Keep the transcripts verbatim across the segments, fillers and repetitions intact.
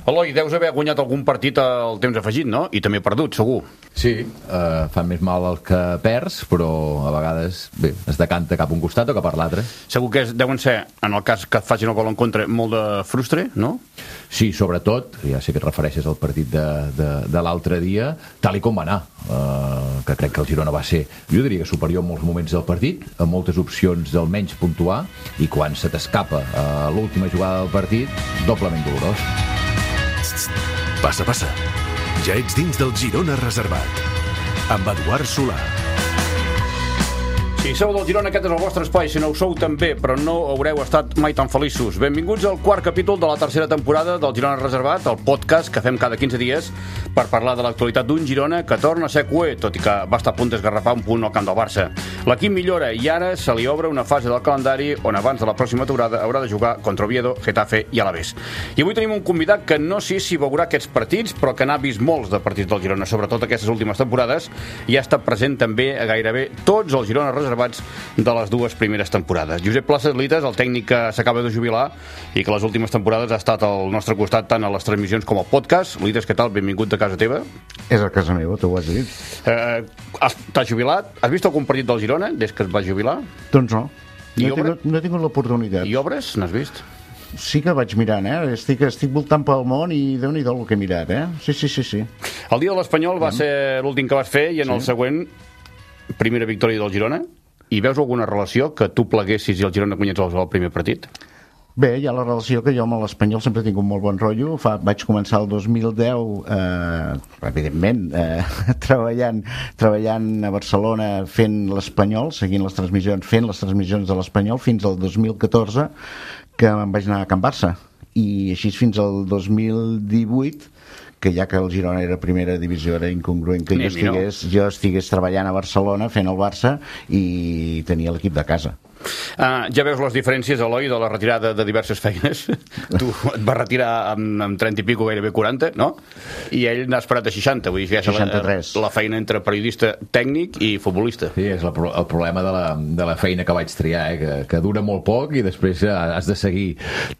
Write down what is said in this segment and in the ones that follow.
Eloi, deus haver guanyat algun partit al temps afegit, no? I també perdut, segur. Sí, eh, fa més mal el que perds, però a vegades bé, es decanta cap a un costat o cap a l'altre. Segur que és, deuen ser, en el cas que et facin el gol en contra, molt de frustre, no? Sí, sobretot, ja sé que et refereixes al partit de, de, de l'altre dia, tal i com va anar, eh, que crec que el Girona va ser, jo diria que superior en molts moments del partit, amb moltes opcions d'almenys puntuar, i quan se t'escapa a l'última jugada del partit, doblement dolorós. Passa, passa. Ja ets dins del Girona Reservat. Amb Eduard Solà. Si sou del Girona, aquest és el vostre espai. Si no ho sou, també, però no haureu estat mai tan feliços. Benvinguts al quart capítol de la tercera temporada del Girona Reservat, el podcast que fem cada quinze dies per parlar de l'actualitat d'un Girona que torna a ser cué, tot i que va estar a punt d'esgarrapar un punt al camp del Barça. L'equip millora i ara se li obre una fase del calendari on abans de la pròxima temporada haurà de jugar contra Oviedo, Getafe i Alavés. I avui tenim un convidat que no sé si veurà aquests partits, però que n'ha vist molts de partits del Girona, sobretot aquestes últimes temporades, i ha estat present també a gairebé tots els Girona Reservats de les dues primeres temporades. Josep Places Lites, el tècnic que s'acaba de jubilar i que les últimes temporades ha estat al nostre costat tant a les transmissions com al podcast. Lites, què tal? Benvingut a casa teva. És a casa meva, t'ho has dit. Eh, has, t'has jubilat? Has vist algun partit del Girona des que et vas jubilar? Doncs no. I No he obra? tingut, no he tingut l'oportunitat. I obres? N'has vist? Sí que vaig mirant, eh? Estic, estic voltant pel món i déu-n'hi-do el que he mirat, eh? Sí, sí, sí, sí. El dia de l'Espanyol va ser l'últim que vas fer i en el següent primera victòria del Girona. I veus alguna relació que tu pleguessis i el Girona guanyés el primer partit? Bé, hi ha la relació que jo amb l'Espanyol sempre he tingut molt bon rotllo. Fa, vaig començar el dos mil deu, eh, evidentment, eh, treballant, treballant a Barcelona fent l'Espanyol, seguint les transmissions, fent les transmissions de l'Espanyol fins al dos mil catorze, que me'n vaig anar a Can Barça. I així fins al dos mil divuit, que ja que el Girona era primera divisió era incongruent que jo estigués, jo estigués treballant a Barcelona fent el Barça i tenia l'equip de casa. Uh, ja veus les diferències, Eloi, de la retirada de diverses feines. Tu et vas retirar amb, amb trenta i pico, gairebé quaranta, no? I ell n'ha esperat a seixanta, vull dir que ja és seixanta-tres. La, la feina entre periodista tècnic i futbolista. Sí, és la, el problema de la, de la feina que vaig triar, eh? que, que dura molt poc i després has de seguir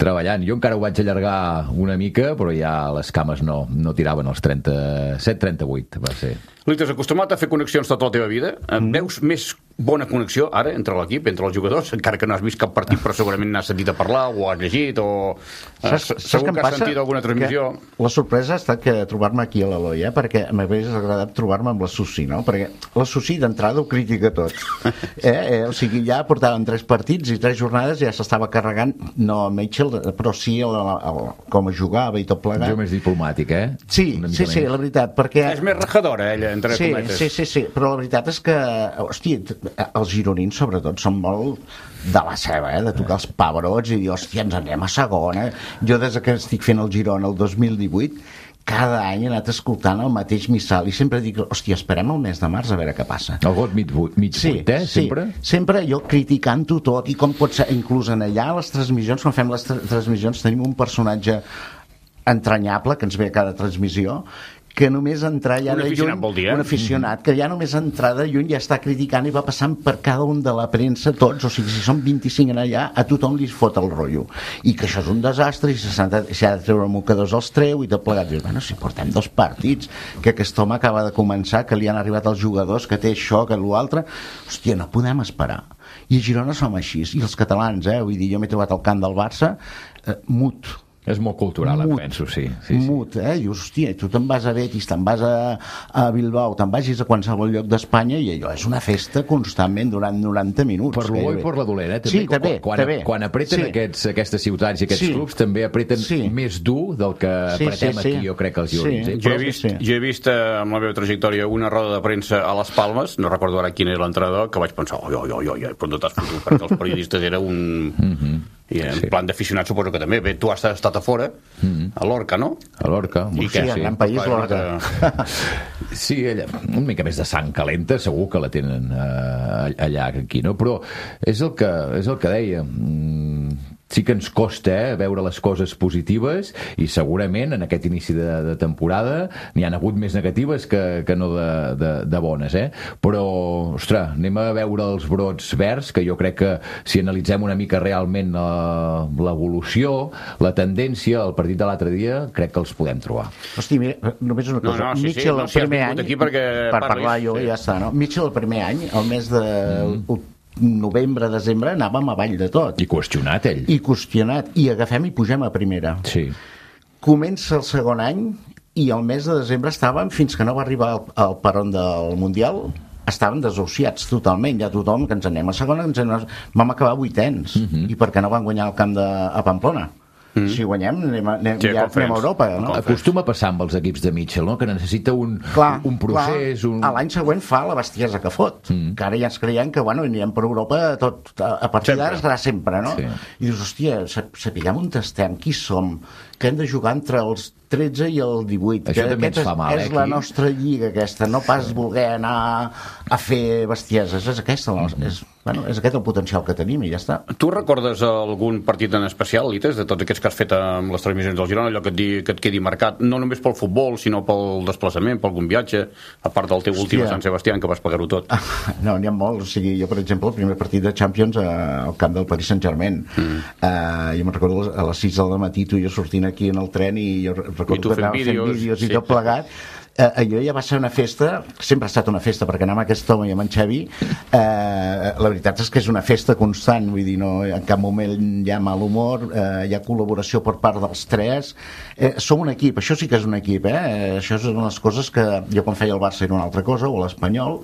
treballant. Jo encara ho vaig allargar una mica, però ja les cames no, no tiraven els trenta-set trenta-vuit, va ser. Lites, acostumat a fer connexions tota la teva vida, mm. veus més bona connexió ara entre l'equip, entre els jugadors, encara que no has vist cap partit, però segurament n'has sentit a parlar o has llegit o saps, eh, segur que, que has sentit alguna transmissió. La sorpresa ha estat que trobar-me aquí a l'Eloi, eh? Perquè m'hagués agradat trobar-me amb la Susi, no? Perquè la Susi d'entrada ho critica tot. Eh? Eh? O sigui, ja portaven tres partits i tres jornades ja s'estava carregant, no a Mitchell, però sí el, el, el, com jugava i tot plegat. Jo més diplomàtic, eh? Sí, sí, sí, la veritat, perquè... És més rajadora, ella, entre sí, cometes. Sí, sí, sí, però la veritat és que, hòstia, els gironins, sobretot, són molt de la seva, eh? De tocar els pebrots i dir, hòstia, ens anem a segona. Jo, des que estic fent el Girona el dos mil divuit, cada any he anat escoltant el mateix missal i sempre dic, hòstia, esperem el mes de març a veure què passa. El got mig, mig sí, vuit, eh? Sempre? Sí, sempre jo criticant-ho tot i com pot ser, inclús en allà a les transmissions, quan fem les tra transmissions tenim un personatge entranyable que ens ve a cada transmissió que només entrar ja de lluny, dir, eh? un aficionat, que ja només entrar de lluny ja està criticant i va passant per cada un de la premsa, tots, o sigui, si són vint-i-cinc en allà, a tothom li fot el rotllo. I que això és un desastre, i si s'ha de, si ha de treure mocadors els treu, i tot plegat. Dius, bueno, si portem dos partits, que aquest home acaba de començar, que li han arribat els jugadors, que té això, que l'altre, hòstia, no podem esperar. I a Girona som així, i els catalans, eh? Vull dir, jo m'he trobat al camp del Barça, eh, mut, és molt cultural, mut, em penso, sí. sí, sí. Mut, eh? Dius, hòstia, tu te'n vas a Betis, te'n vas a, a Bilbao, te'n vagis a qualsevol lloc d'Espanya i allò és una festa constantment durant noranta minuts. Per l'O i per la dolent, eh? També, sí, també. Quan, també. quan apreten sí. aquests, aquestes ciutats i aquests sí. clubs, també apreten sí. més dur del que sí, apretem sí, sí. aquí, jo crec que els gironins. Sí. Eh? Jo he vist, sí. jo he vist eh, amb la meva trajectòria una roda de premsa a les Palmes, no recordo ara quin era l'entrenador, que vaig pensar, oi, oi, oi, oi, però no t'has fotut, perquè els periodistes era un... Mm-hmm. I en sí. plan d'aficionat suposo que també. Bé, tu has estat a fora, mm-hmm. a Lorca, no? A Lorca. I sí, sí, gran país, Lorca. Sí, allà, una mica més de sang calenta, segur que la tenen eh, allà, aquí, no? Però és el que, és el que deia... Mm, sí que ens costa eh, veure les coses positives i segurament en aquest inici de, de temporada n'hi han hagut més negatives que, que no de, de, de bones, eh? Però, ostres, anem a veure els brots verds, que jo crec que si analitzem una mica realment uh, l'evolució, la tendència, el partit de l'altre dia, crec que els podem trobar. Hosti, mira, només una cosa. No, no, sí, Mitchell, sí, no, el si primer any, aquí perquè per parlis, parlar jo, sí. ja està, no? Mitchell, el primer any, el mes de mm. novembre, desembre, anàvem avall de tot. I qüestionat, ell. I qüestionat. I agafem i pugem a primera. Sí. Comença el segon any i el mes de desembre estàvem, fins que no va arribar al, al peron del Mundial, estàvem desahuciats totalment, ja tothom que ens anem a segona, ens anem a... vam acabar vuitens. Mm-hmm. I per què no van guanyar el camp de, a Pamplona? Mm. Si guanyem, anem, anem, sí, ja anem a Europa. No? Acostuma a passar amb els equips de Mitchell, no? Que necessita un, clar, un procés... Clar. Un... L'any següent fa la bestiesa que fot. Mm. Que ara ja ens creiem que bueno, anirem per Europa tot, a, a partir d'ara estarà sempre, no? Sí. I dius, hòstia, sapiguem on estem, qui som, que hem de jugar entre els tretze i el divuit. Això també ens fa mal, és eh, la nostra lliga aquesta, no pas voler anar a fer bestieses, és aquesta, mm-hmm. és, bueno, és aquest el potencial que tenim i ja està. Tu recordes algun partit en especial, Lites, de tots aquests que has fet amb les transmissions del Girona, allò que et, di, que et quedi marcat, no només pel futbol, sinó pel desplaçament, per algun viatge, a part del teu últim a Sant Sebastià, que vas pagar-ho tot? No, n'hi ha molts. O sigui, jo, per exemple, el primer partit de Champions al camp del Paris Saint-Germain. Mm. Uh, jo me'n recordo a les sis del matí, tu i jo sortint aquí en el tren i jo recordo que anava fent vídeos i sí. tot plegat. Eh, allò ja va ser una festa, sempre ha estat una festa, perquè anar amb aquest home i amb en Xavi, eh, la veritat és que és una festa constant, vull dir, no, en cap moment hi ha mal humor, eh, hi ha col·laboració per part dels tres, eh, som un equip, això sí que és un equip, eh? Això és una de les coses que jo quan feia el Barça era una altra cosa, o l'Espanyol,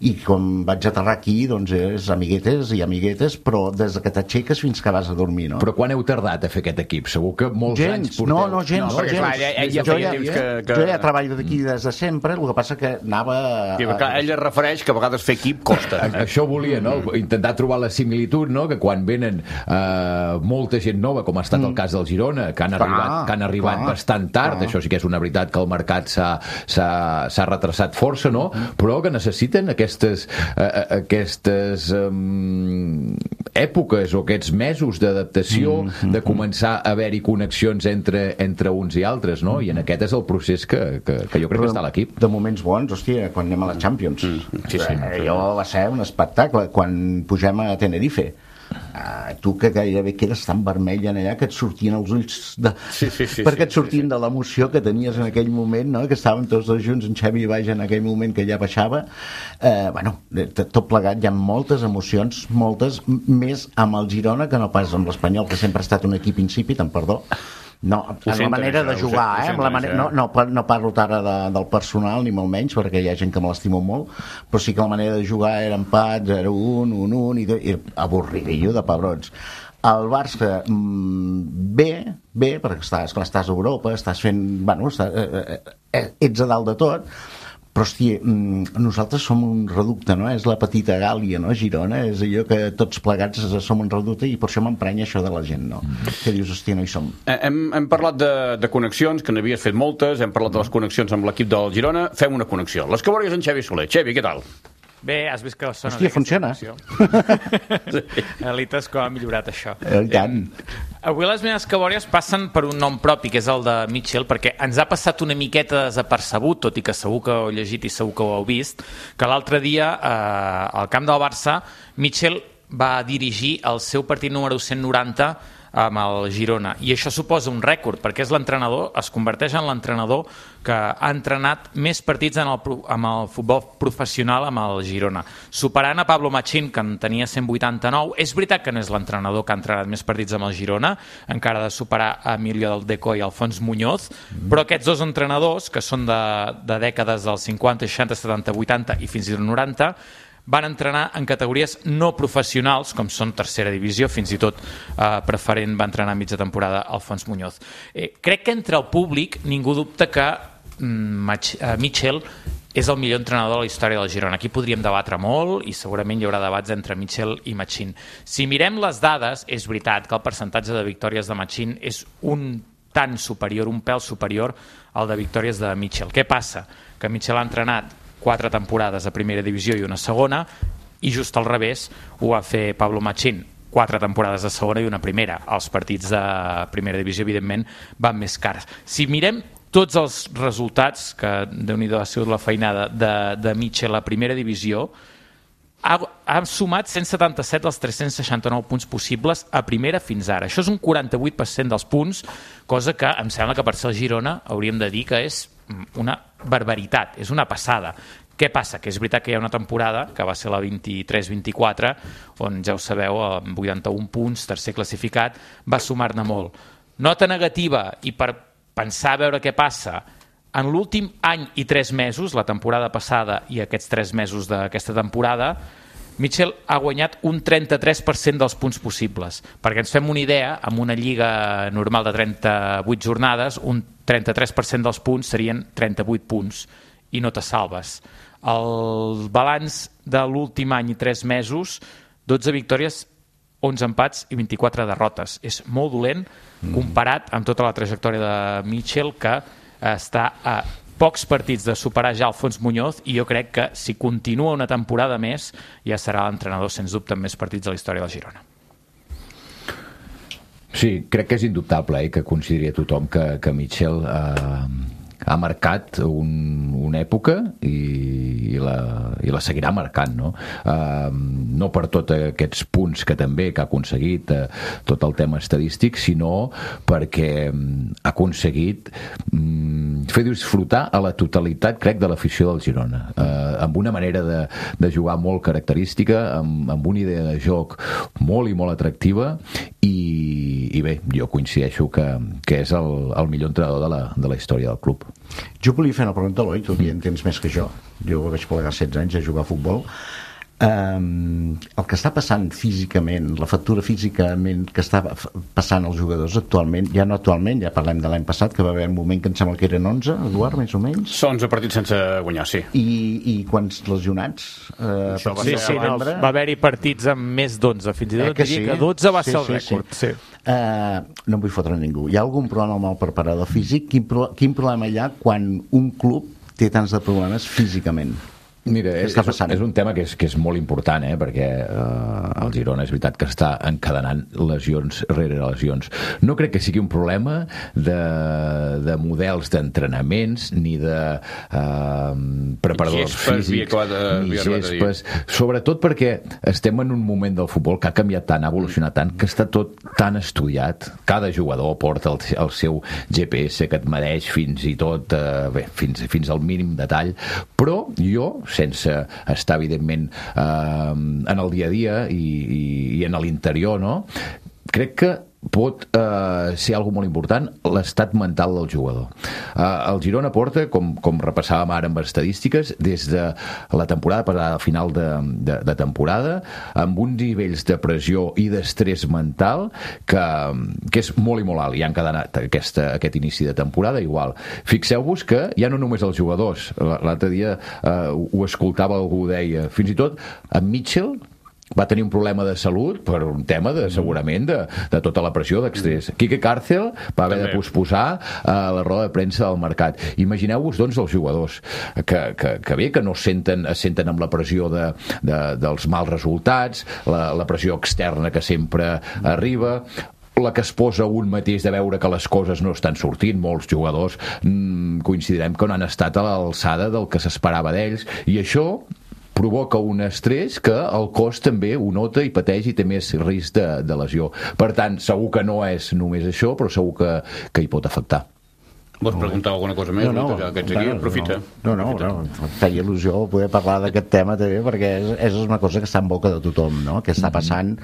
i quan vaig aterrar aquí, doncs és amiguetes i amiguetes, però des que t'aixeques fins que vas a dormir, no? Però quan heu tardat a fer aquest equip? Segur que molts gens, anys porteu... No, no, gens, no, gens. Clar, ell, ell ja jo, feia ja, temps que, que... jo ja treballo d'aquí des de sempre, el que passa que anava... Sí, clar, ell es refereix que a vegades fer equip costa. Eh? Això volia, no? Intentar trobar la similitud, no? Que quan venen eh, molta gent nova, com ha estat el cas del Girona, que han clar, arribat, que han arribat clar, bastant tard, clar. Això sí que és una veritat que el mercat s'ha retrasat força, no? Però que necessiten aquestes... Eh, aquestes um, èpoques o aquests mesos d'adaptació, mm -hmm. de començar a haver-hi connexions entre, entre uns i altres, no? I en aquest és el procés que, que, que jo crec Però que està a l'equip. De moments bons, hòstia, quan anem a la Champions. Mm -hmm. sí, sí, eh, jo va ser un espectacle quan pugem a Tenerife. Uh, tu que gairebé quedes tan vermell en allà que et sortien els ulls de... sí, sí, sí, perquè et sortien sí, sí. de l'emoció que tenies en aquell moment, no? Que estàvem tots dos junts, en Xavi i baix en aquell moment que ja baixava. Uh, bueno, tot plegat, hi ha moltes emocions, moltes, més amb el Girona que no pas amb l'Espanyol, que sempre ha estat un equip insípid, amb perdó. No, en la manera de jugar, eh? Amb la manera, no, no, no parlo ara de, del personal, ni molt menys, perquè hi ha gent que me l'estimo molt, però sí que la manera de jugar era empat, zero un, un un, i, i avorridillo de pebrons. El Barça, mmm, bé, bé, perquè estàs, clar, estàs a Europa, estàs fent... Bueno, estàs, eh, eh, ets a dalt de tot, però, hòstia, nosaltres som un reducte, no? És la petita Gàlia, no? Girona, és allò que tots plegats som un reducte i per això m'emprenya això de la gent, no? Mm. Que dius, hòstia, no hi som. Hem, hem parlat de, de connexions, que n'havies fet moltes, hem parlat de les connexions amb l'equip del Girona, fem una connexió. Les que volies en Xavi Soler. Xavi, què tal? Bé, has vist que sona... Hòstia, funciona. Elites, com ha millorat això. Eh, tant. Avui les meves cabòries passen per un nom propi, que és el de Mitchell, perquè ens ha passat una miqueta desapercebut, tot i que segur que ho heu llegit i segur que ho heu vist, que l'altre dia, eh, al camp del Barça, Mitchell va dirigir el seu partit número cent noranta amb el Girona, i això suposa un rècord, perquè és l'entrenador, es converteix en l'entrenador que ha entrenat més partits en el, amb el futbol professional amb el Girona, superant a Pablo Machín, que en tenia cent vuitanta-nou. És veritat que no és l'entrenador que ha entrenat més partits amb el Girona, encara ha de superar a Emilio del Deco i Alfons Muñoz, mm. però aquests dos entrenadors, que són de, de dècades dels cinquanta, seixanta, setanta, vuitanta i fins i tot noranta, van entrenar en categories no professionals, com són tercera divisió, fins i tot eh, preferent va entrenar a mitja temporada Alfons Muñoz. Eh, crec que entre el públic ningú dubta que mm, Mitchell és el millor entrenador de la història del Girona. Aquí podríem debatre molt i segurament hi haurà debats entre Mitchell i Machín. Si mirem les dades, és veritat que el percentatge de victòries de Machín és un tant superior, un pèl superior al de victòries de Mitchell. Què passa? Que Mitchell ha entrenat quatre temporades a primera divisió i una segona, i just al revés ho va fer Pablo Machín. quatre temporades de segona i una primera. Els partits de primera divisió, evidentment, van més cars. Si mirem tots els resultats, que Déu-n'hi-do ha sigut la feinada de, de Mitchell a primera divisió, ha, ha sumat cent setanta-set dels tres-cents seixanta-nou punts possibles a primera fins ara. Això és un quaranta-vuit per cent dels punts, cosa que em sembla que per ser el Girona hauríem de dir que és una barbaritat, és una passada. Què passa? Que és veritat que hi ha una temporada, que va ser la vint-i-tres vint-i-quatre, on ja ho sabeu, amb vuitanta-un punts, tercer classificat, va sumar-ne molt. Nota negativa, i per pensar a veure què passa, en l'últim any i tres mesos, la temporada passada i aquests tres mesos d'aquesta temporada, Mitchell ha guanyat un trenta-tres per cent dels punts possibles. Perquè ens fem una idea, amb una lliga normal de trenta-vuit jornades, un trenta-tres per cent dels punts serien trenta-vuit punts, i no te salves. El balanç de l'últim any i tres mesos, dotze victòries, onze empats i vint-i-quatre derrotes. És molt dolent comparat amb tota la trajectòria de Mitchell, que està a pocs partits de superar ja Alfons Muñoz, i jo crec que si continua una temporada més ja serà l'entrenador sens dubte amb més partits de la història del Girona. Sí, crec que és indubtable eh, que consideri tothom que, que Mitchell eh, ha marcat un, una època i, i, la, i la seguirà marcant, no? Uh, no per tots aquests punts que també que ha aconseguit, uh, tot el tema estadístic, sinó perquè um, ha aconseguit um, fer disfrutar a la totalitat, crec, de l'afició del Girona, uh, amb una manera de, de jugar molt característica, amb, amb una idea de joc molt i molt atractiva, i, i bé, jo coincideixo que, que és el, el millor entrenador de la, de la història del club. Jo volia fer una pregunta a l'Eloi, tu en tens més que jo. Jo vaig plegar setze anys a jugar a futbol. Um, el que està passant físicament, la factura físicament que està passant als jugadors actualment, ja no actualment, ja parlem de l'any passat, que va haver un moment que em sembla que eren onze, Eduard, més o menys. onze partits sense guanyar, sí. I, i quants lesionats? Uh, sí, sí, no, va haver-hi partits amb més d'onze, fins i tot eh que, sí? que dotze va sí, ser el sí, rècord. Sí. Sí. Uh, no em vull fotre ningú. Hi ha algun problema amb el preparador físic? Quin, pro quin problema hi ha quan un club té tants de problemes físicament? Mira, és, és, és un tema que és, que és molt important, eh? Perquè eh, el Girona és veritat que està encadenant lesions rere lesions. No crec que sigui un problema de, de models d'entrenaments ni de eh, preparadors físics ni gespes, sobretot perquè estem en un moment del futbol que ha canviat tant, ha evolucionat tant, que està tot tan estudiat. Cada jugador porta el, el seu G P S que et medeix fins i tot eh, bé, fins, fins al mínim detall, però jo, sense estar evidentment eh, en el dia a dia i, i, i en l'interior, no? Crec que pot eh, ser algo molt important l'estat mental del jugador. Eh, el Girona porta, com, com repassàvem ara amb estadístiques, des de la temporada passada, al final de, de, de temporada, amb uns nivells de pressió i d'estrès mental que, que és molt i molt alt, i han encadenat aquesta, aquest inici de temporada igual. Fixeu-vos que ja no només els jugadors, l'altre dia eh, ho escoltava, algú deia, fins i tot en Mitchell va tenir un problema de salut per un tema de, segurament de, de tota la pressió d'estrès. Quique Cárcel va haver de posposar uh, la roda de premsa del mercat. Imagineu-vos, doncs, els jugadors que, que, que bé, que no senten, es senten amb la pressió de, de, dels mals resultats, la, la pressió externa que sempre arriba, la que es posa un mateix de veure que les coses no estan sortint. Molts jugadors mmm, coincidirem que no han estat a l'alçada del que s'esperava d'ells, i això provoca un estrès que el cos també ho nota i pateix i té més risc de, de lesió. Per tant, segur que no és només això, però segur que, que hi pot afectar. Vols preguntar alguna cosa més? No, no, ja que ets aquí, aprofita. No, no, no, no, feia il·lusió poder parlar d'aquest tema també, perquè és, és una cosa que està en boca de tothom, no? Que està passant,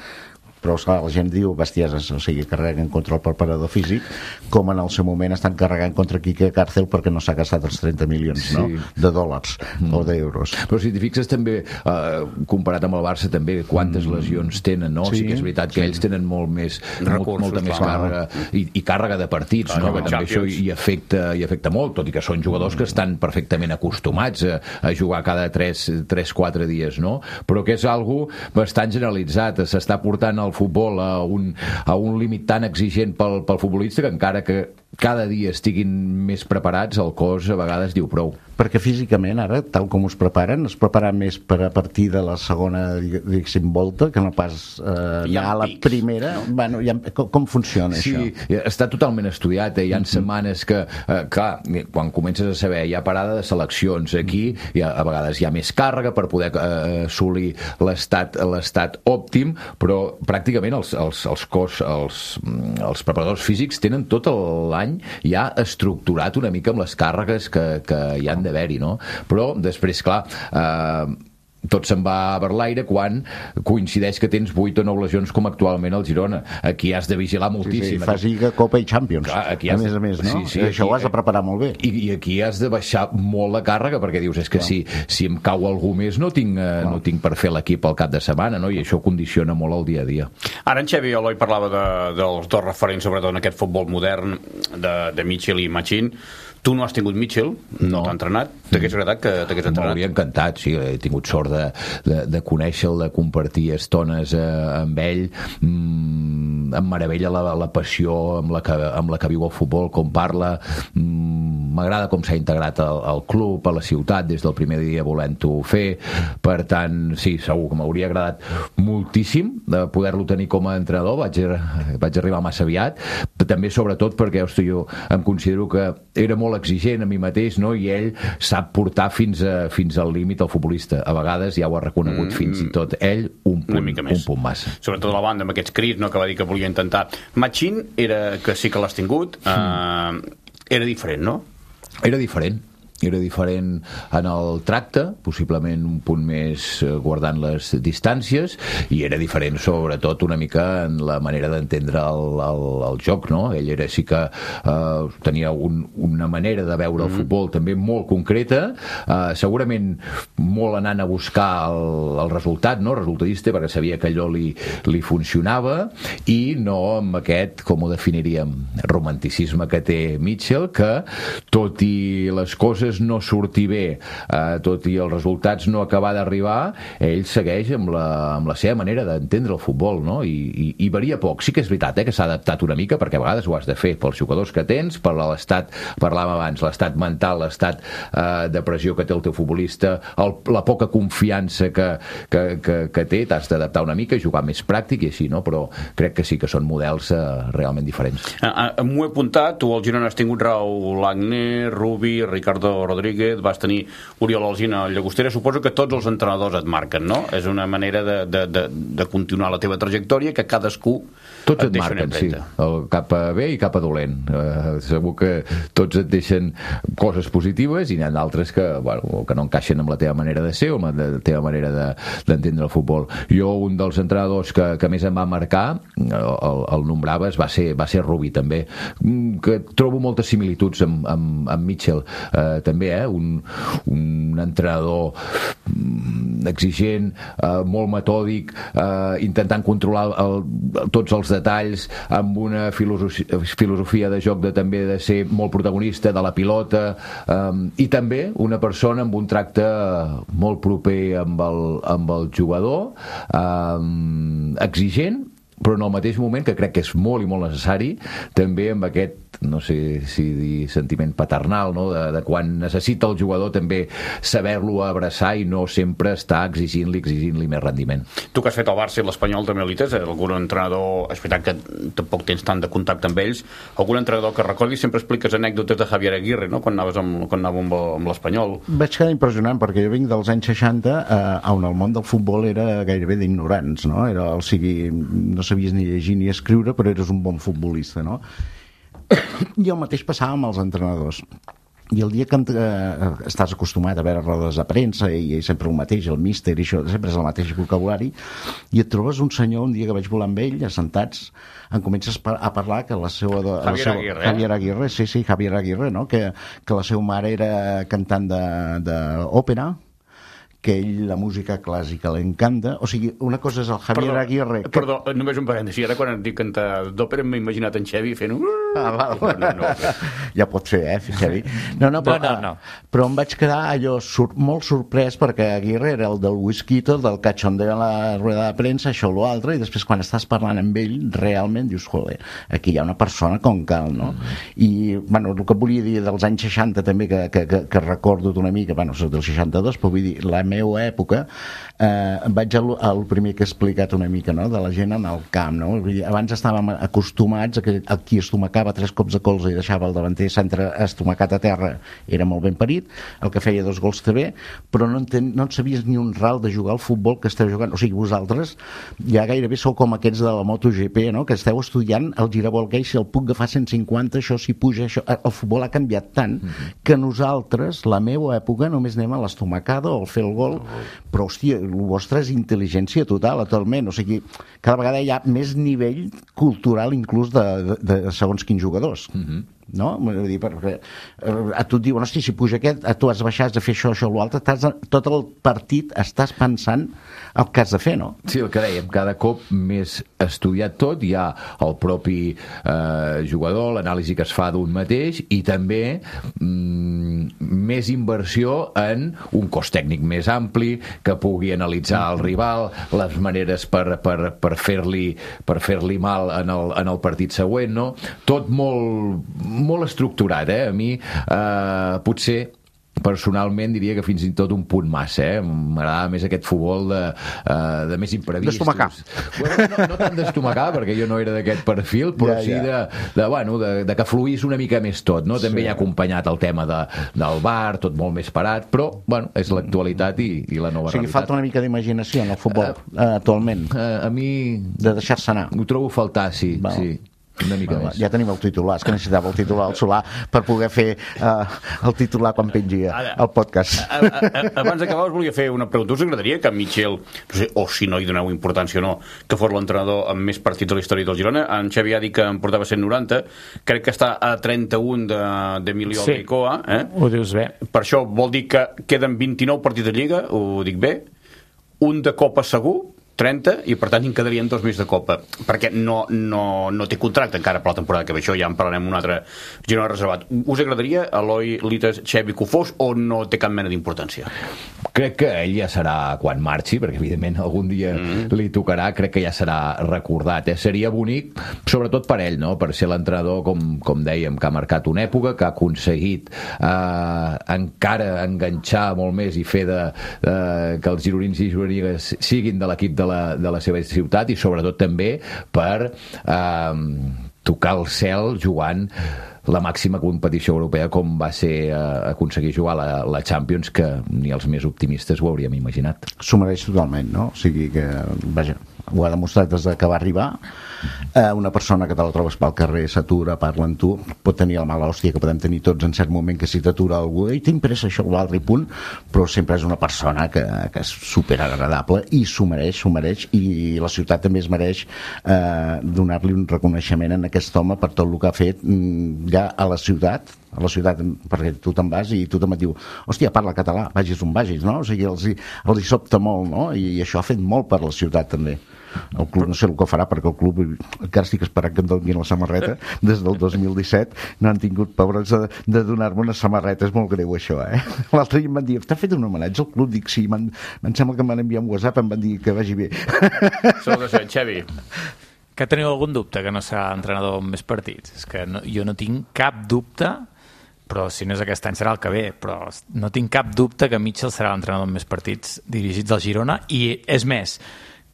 però esclar, la gent diu bestieses, o sigui, carreguen contra el preparador físic, com en el seu moment estan carregant contra Quique Cárcel perquè no s'ha gastat els trenta milions, sí, no? De dòlars mm. o d'euros. Però si t'hi fixes també, eh, comparat amb el Barça també, quantes mm. lesions tenen, no? Sí, sí que és veritat que sí, ells tenen molt més recursos, molta més càrrega i, i càrrega de partits, clar, no? Que també això hi afecta, hi afecta molt, tot i que són jugadors mm. que estan perfectament acostumats a, a jugar cada tres quatre dies, no? Però que és algo bastant generalitzat, s'està portant al futbol a un, a un límit tan exigent pel, pel futbolista que encara que cada dia estiguin més preparats, el cos a vegades diu prou. Perquè físicament ara, tal com us preparen, es preparen més per a partir de la segona, diguéssim, volta, que no pas eh, ja a la pics, primera. No? Bueno, ja, com, com funciona sí, això? Sí, està totalment estudiat. Eh? Hi ha mm-hmm. setmanes que, eh, clar, quan comences a saber, hi ha parada de seleccions. Aquí hi ha, a vegades hi ha més càrrega per poder eh, assolir l'estat l'estat òptim, però pràcticament els, els, els cos, els, els preparadors físics tenen tot l'any ja estructurat una mica amb les càrregues que, que hi han d'haver-hi, no? Però després, clar, eh, tot se'n va per l'aire quan coincideix que tens vuit o nou lesions com actualment al Girona. Aquí has de vigilar moltíssim. Sí, sí, fas Lliga, Copa i Champions. Clar, aquí has... A més a més, no? Sí, sí, això aquí... ho has de preparar molt bé. I, i aquí has de baixar molt la càrrega, perquè dius, és que si, si em cau algú més no tinc, eh, no tinc per fer l'equip al cap de setmana, no? I això condiciona molt el dia a dia. Ara en Xevi Eloi parlava de, dels dos referents, sobretot en aquest futbol modern, de, de Mitchell i Machín. Tu no has tingut Mitchell, no, no t'ha entrenat? T'hagués agradat que t'hagués entrenat? M'hauria encantat, sí, he tingut sort de, de, de conèixer-lo, de compartir estones eh, amb ell. Mm, em meravella la, la passió amb la, que, amb la que viu el futbol, com parla. Mm, m'agrada com s'ha integrat al, al club, a la ciutat, des del primer dia volent-ho fer. Per tant, sí, segur que m'hauria agradat moltíssim de poder-lo tenir com a entrenador. Vaig, vaig arribar massa aviat, però també sobretot perquè, hosti, jo em considero que era molt exigent a mi mateix, no? I ell sap portar fins, a, fins al límit el futbolista. A vegades ja ho ha reconegut mm, fins i tot ell un punt, un punt massa. Sobretot a la banda, amb aquests crits, no? Que va dir que volia intentar. Machín, era, que sí que l'has tingut, mm. eh, era diferent, no? Era diferent. Era diferent en el tracte, possiblement un punt més guardant les distàncies, i era diferent sobretot una mica en la manera d'entendre el, el, el joc, no? Ell era, sí que eh, tenia un, una manera de veure el mm. futbol també molt concreta, eh, segurament molt anant a buscar el, el resultat, no? Resultadista, perquè sabia que allò li, li funcionava, i no amb aquest, com ho definiríem, romanticisme que té Mitchell, que tot i les coses no sortir bé, eh, tot i els resultats no acabar d'arribar, ell segueix amb la, amb la seva manera d'entendre el futbol, no? I, i, i varia poc. Sí que és veritat, eh, que s'ha adaptat una mica, perquè a vegades ho has de fer pels jugadors que tens, per l'estat, parlàvem abans, l'estat mental, l'estat eh, de pressió que té el teu futbolista, el, la poca confiança que, que, que, que té, t'has d'adaptar una mica, jugar més pràctic i així, no? Però crec que sí que són models eh, realment diferents. Ah, ah, m'ho he apuntat, tu al Girona has tingut Raúl Agné, Rubi, Ricardo Rodríguez, vas tenir Oriol Alsina a Llagostera. Suposo que tots els entrenadors et marquen, no? És una manera de, de, de, de continuar la teva trajectòria, que cadascú tots et, et marquen, sí, el cap a bé i cap a dolent. Uh, segur que tots et deixen coses positives, i n'hi ha d'altres que, bueno, que no encaixen amb la teva manera de ser o amb la teva manera de, d'entendre el futbol. Jo, un dels entrenadors que, que més em va marcar, el, el nombraves, va ser, va ser Rubi, també, que trobo moltes similituds amb, amb, amb Mitchell, uh, també, eh? un, un entrenador exigent, uh, molt metòdic, uh, intentant controlar el, tots els detalls, amb una filosofia, filosofia de joc de també de ser molt protagonista de la pilota, um, i també una persona amb un tracte molt proper amb el, amb el jugador, um, exigent, però en el mateix moment, que crec que és molt i molt necessari, també amb aquest, no sé si dir sentiment paternal, no? de, de quan necessita el jugador també saber-lo abraçar i no sempre estar exigint-li, exigint-li més rendiment. Tu que has fet el Barça i l'Espanyol també elites, algun entrenador, és veritat que tampoc tens tant de contacte amb ells, algun entrenador que recordis, sempre expliques anècdotes de Javier Aguirre, no? Quan anaves amb, quan anava amb, amb l'Espanyol. Vaig quedar impressionant, perquè jo vinc dels anys seixanta, eh, on el món del futbol era gairebé d'ignorants, no? Era, o sigui, no sabies ni llegir ni escriure, però eres un bon futbolista, no? I el mateix passava amb els entrenadors. I el dia que eh, estàs acostumat a veure rodes de premsa i, i sempre el mateix, el míster i això, sempre és el mateix vocabulari, i et trobes un senyor, un dia que vaig volar amb ell, assentats, en comences a parlar que la seva... De, Javier la seva, Aguirre. Javier Aguirre, sí, sí, Javier Aguirre, no? Que, que la seva mare era cantant d'òpera, que ell la música clàssica l'encanta. O sigui, una cosa és el Javier Perdó, Aguirre... Que... Perdó, només un parèntesi. Ara quan et dic cantar d'òpera m'he imaginat en Xevi fent un... Ah, val. No, no, no. Ja pot ser, eh, Xevi? No, no, però, No, no, no. però em vaig quedar allò sur molt sorprès perquè Aguirre era el del whisquito, del cachondeo a la rueda de premsa, això o l'altre, i després quan estàs parlant amb ell realment dius, joder, aquí hi ha una persona com cal, no? Mm. I, bueno, el que volia dir dels anys seixanta també, que, que, que, que recordo una mica, bueno, soc del seixanta-dos, però vull dir, la meva època, eh, vaig al, al primer que he explicat una mica, no?, de la gent en el camp, no? Vull dir, abans estàvem acostumats a que el qui estomacava tres cops de colze i deixava el davanter centre estomacat a terra era molt ben parit, el que feia dos gols també, però no, enten, no en sabies ni un ral de jugar al futbol que esteu jugant. O sigui, vosaltres ja gairebé sou com aquests de la MotoGP, no?, que esteu estudiant el giravolquei, si el puc agafar cent cinquanta, això si puja, això... El futbol ha canviat tant mm-hmm. que nosaltres, la meva època, només anem a l'estomacada o al fer el gol, però, hòstia, el vostre és intel·ligència total, totalment. O sigui, cada vegada hi ha més nivell cultural inclús de, de, de segons quins jugadors. Mm-hmm. No? Vull dir, perquè a tu et diuen, hosti, si puja aquest, a tu has baixat de fer això, això o l'altre, tot el partit estàs pensant el que has de fer, no? Sí, el que dèiem, cada cop més estudiat tot, hi ha el propi eh, jugador, l'anàlisi que es fa d'un mateix, i també mm, més inversió en un cos tècnic més ampli, que pugui analitzar el rival, les maneres per, per, per fer-li per fer-li mal en el, en el partit següent, no? Tot molt molt estructurat, eh? A mi eh, potser personalment diria que fins i tot un punt massa, eh? M'agrada més aquest futbol de, uh, de més imprevistos. D'estomacar. Bueno, no, no tant d'estomacar, perquè jo no era d'aquest perfil, però ja, sí ja. De, de, bueno, de, de que fluís una mica més tot, no? També sí. Hi ha acompanyat el tema de, del bar, tot molt més parat, però, bueno, és l'actualitat i, i la nova realitat. O sigui, realitat. Falta una mica d'imaginació en el futbol, uh, actualment. Uh, a mi... De deixar-se anar. Ho trobo a faltar, sí, Val. sí. Una mica Val, més. Ja tenim el titular, és que necessitava el titular al Solà per poder fer uh, el titular quan pengia el podcast. A, a, a, abans d'acabar us volia fer una pregunta. Us agradaria que Michel, no sé, o si no hi doneu importància o no, que fos l'entrenador amb més partits de la història del Girona? En Xavi ha dit que en portava cent noranta, crec que està a trenta-un d'Emilio sí, Albicoa, eh? Ho dius bé. Per això vol dir que queden vint-i-nou partits de Lliga, ho dic bé, un de Copa segur, trenta, i per tant en quedarien dos més de Copa, perquè no, no, no té contracte encara per la temporada que ve. Això ja en parlarem un altre Girona reservat. Us agradaria Eloi Lites, Xevi que ho fos, o no té cap mena d'importància? Crec que ell ja serà quan marxi, perquè evidentment algun dia mm. li tocarà, crec que ja serà recordat, eh? Seria bonic, sobretot per ell, no? Per ser l'entrenador, com, com dèiem, que ha marcat una època, que ha aconseguit eh, encara enganxar molt més i fer de, de, que els gironins i gironines siguin de l'equip de la, de la seva ciutat, i sobretot també per eh, tocar el cel jugant la màxima competició europea, com va ser eh, aconseguir jugar la, la Champions, que ni els més optimistes ho hauríem imaginat. S'ho mereix totalment, no? O sigui que, vaja, ho ha demostrat des que va arribar. Eh, una persona que te la trobes pel carrer, s'atura, parla amb tu, pot tenir la mala hòstia que podem tenir tots en cert moment, que si t'atura algú, i t'impressa això o l'altre, i punt, però sempre és una persona que, que és superagradable i s'ho mereix, s'ho mereix, i la ciutat també es mereix eh, donar-li un reconeixement en aquest home per tot el que ha fet ja a la ciutat, a la ciutat, perquè tu te'n vas i tothom et diu, hòstia, parla català, vagis on vagis, no? O sigui, els hi, els hi sobta molt, no? I, i això ha fet molt per la ciutat també. El club no sé el que farà, perquè el club encara estic esperant que em donin la samarreta des del dos mil disset, no han tingut pobres de, de donar-me una samarreta. És molt greu això, eh? L'altre dia em van dir, t'ha fet un homenatge al club? Dic, sí, em sembla que m'han enviat un WhatsApp, em van dir que vagi bé. Sou de ser, Xavi. Que teniu algun dubte que no serà entrenador amb més partits? És que no, jo no tinc cap dubte, però si no és aquest any serà el que ve, però no tinc cap dubte que Mitchell serà l'entrenador amb més partits dirigits al Girona, i és més,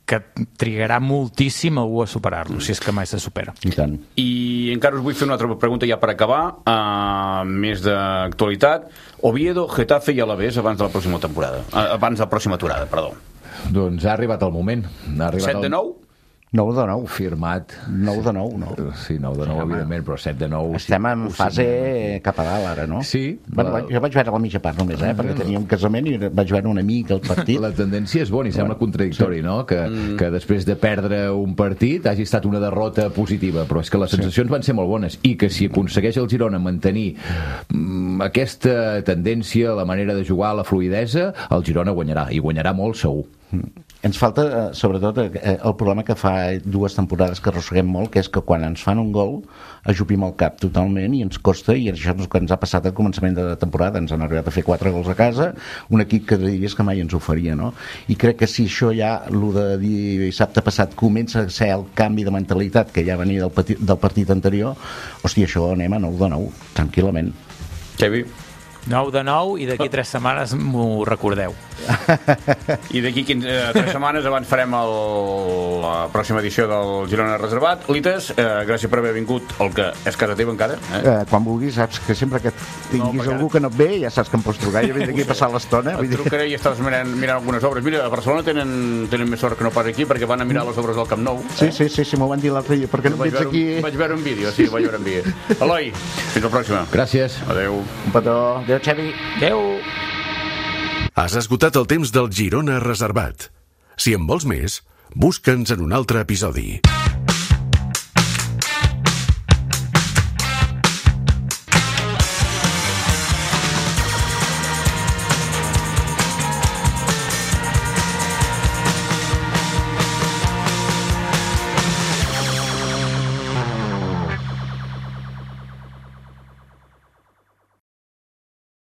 que trigarà moltíssim algú a superar-lo, si és que mai se supera. I tant. I encara us vull fer una altra pregunta ja per acabar, uh, més d'actualitat. Oviedo, Getafe i Alavés abans de la pròxima temporada, uh, abans de la pròxima aturada, perdó. Doncs ha arribat el moment. Ha arribat set de nou? nou de nou. Firmat. nou de nou, no? Sí, nou de nou, sí, evidentment, però set de nou... Estem en fase cap a dalt, ara, no? Sí. Bueno, la... Jo vaig veure la mitja part només, eh? Perquè tenia un casament i vaig veure un amic al partit. La tendència és bona i sembla contradictori, sí. no? Que, mm. que després de perdre un partit hagi estat una derrota positiva, però és que les sensacions sí. van ser molt bones i que si aconsegueix el Girona mantenir mm, aquesta tendència, la manera de jugar, la fluidesa, el Girona guanyarà, i guanyarà molt segur. Ens falta, sobretot, el problema que fa dues temporades que arrosseguem molt, que és que quan ens fan un gol ajupim el cap totalment i ens costa, i això és el que ens ha passat al començament de la temporada. Ens han arribat a fer quatre gols a casa, un equip que diries que mai ens ho faria, no? I crec que si això ja, el de dissabte passat, comença a ser el canvi de mentalitat que ja venia del, petit, del partit anterior, hòstia, això anem a nou de nou, tranquil·lament. Xavi? nou de nou i d'aquí tres setmanes m'ho recordeu. I d'aquí tres setmanes abans farem el, la pròxima edició del Girona Reservat. Lites, eh, gràcies per haver vingut al que és casa teva encara. Eh? Eh, quan vulguis, saps que sempre que tinguis no, algú que no et ve, ja saps que em pots trucar, jo vinc aquí a passar l'estona. Et trucaré i estàs mirant, mirant algunes obres. Mira, a Barcelona tenen, tenen més sort que no pas aquí, perquè van a mirar les obres del Camp Nou. Sí, sí, sí, sí m'ho van dir l'altre dia, perquè no ets aquí. Un, vaig veure un vídeo, sí, vaig veure un vídeo. Eloi, fins la pròxima. Gràcies. Adéu. Un petó. Adéu, Xavi. Adéu. Has esgotat el temps del Girona Reservat. Si en vols més, busca'ns en un altre episodi.